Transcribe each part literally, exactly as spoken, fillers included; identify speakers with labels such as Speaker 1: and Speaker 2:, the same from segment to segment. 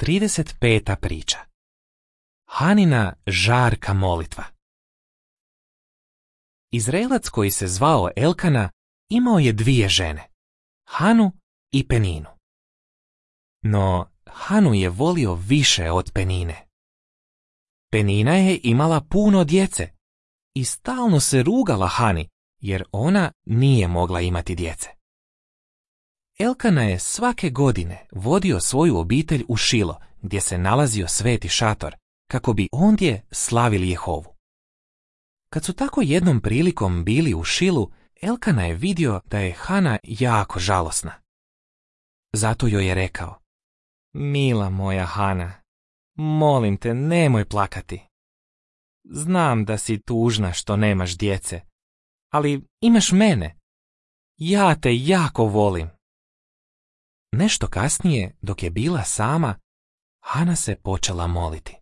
Speaker 1: trideset peta priča. Hanina žarka molitva. Izraelac koji se zvao Elkana imao je dvije žene, Hanu i Peninu. No Hanu je volio više od Penine. Penina je imala puno djece i stalno se rugala Hani jer ona nije mogla imati djece. Elkana je svake godine vodio svoju obitelj u Šilo, gdje se nalazio sveti šator, kako bi ondje slavili Jehovu. Kad su tako jednom prilikom bili u Šilu, Elkana je vidio da je Hana jako žalosna. Zato joj je rekao: Mila moja Hana, molim te, nemoj plakati. Znam da si tužna što nemaš djece, ali imaš mene. Ja te jako volim. Nešto kasnije, dok je bila sama, Hana se počela moliti.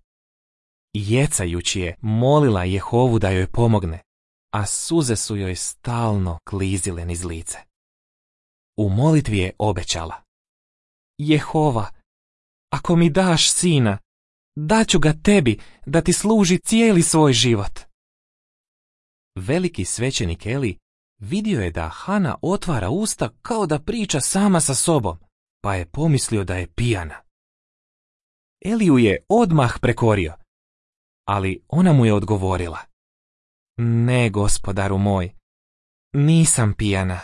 Speaker 1: Jecajući je molila Jehovu da joj pomogne, a suze su joj stalno klizile niz lice. U molitvi je obećala: Jehova, ako mi daš sina, daću ga tebi da ti služi cijeli svoj život. Veliki svećenik Eli vidio je da Hana otvara usta kao da priča sama sa sobom, pa je pomislio da je pijana. Eliju je odmah prekorio, ali ona mu je odgovorila: Ne, gospodaru moj, nisam pijana.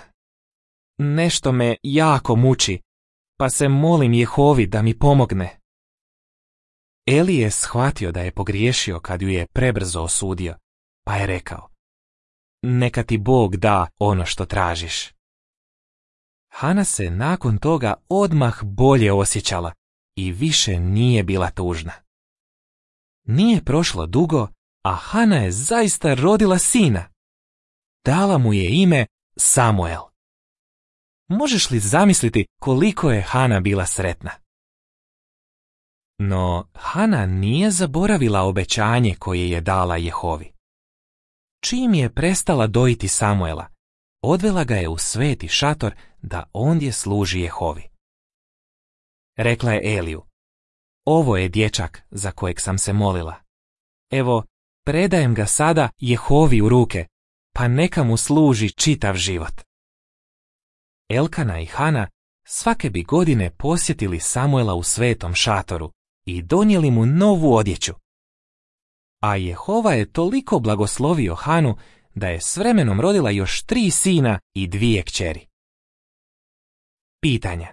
Speaker 1: Nešto me jako muči, pa se molim Jehovi da mi pomogne. Eli je shvatio da je pogriješio kad ju je prebrzo osudio, pa je rekao: Neka ti Bog da ono što tražiš. Hana se nakon toga odmah bolje osjećala i više nije bila tužna. Nije prošlo dugo, a Hana je zaista rodila sina. Dala mu je ime Samuel. Možeš li zamisliti koliko je Hana bila sretna? No, Hana nije zaboravila obećanje koje je dala Jehovi. Čim je prestala dojiti Samuela, odvela ga je u sveti šator da ondje služi Jehovi. Rekla je Eliju: Ovo je dječak za kojeg sam se molila. Evo, predajem ga sada Jehovi u ruke, pa neka mu služi čitav život. Elkana i Hana svake bi godine posjetili Samuela u svetom šatoru i donijeli mu novu odjeću. A Jehova je toliko blagoslovio Hanu da je s vremenom rodila još tri sina i dvije kćeri. Pitanja: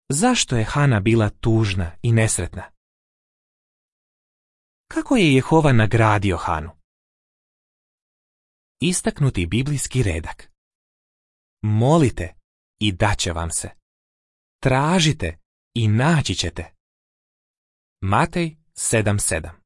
Speaker 1: Zašto je Hana bila tužna i nesretna? Kako je Jehova nagradio Hanu? Istaknuti biblijski redak: Molite i daće vam se. Tražite i naći ćete. Matej sedam sedam.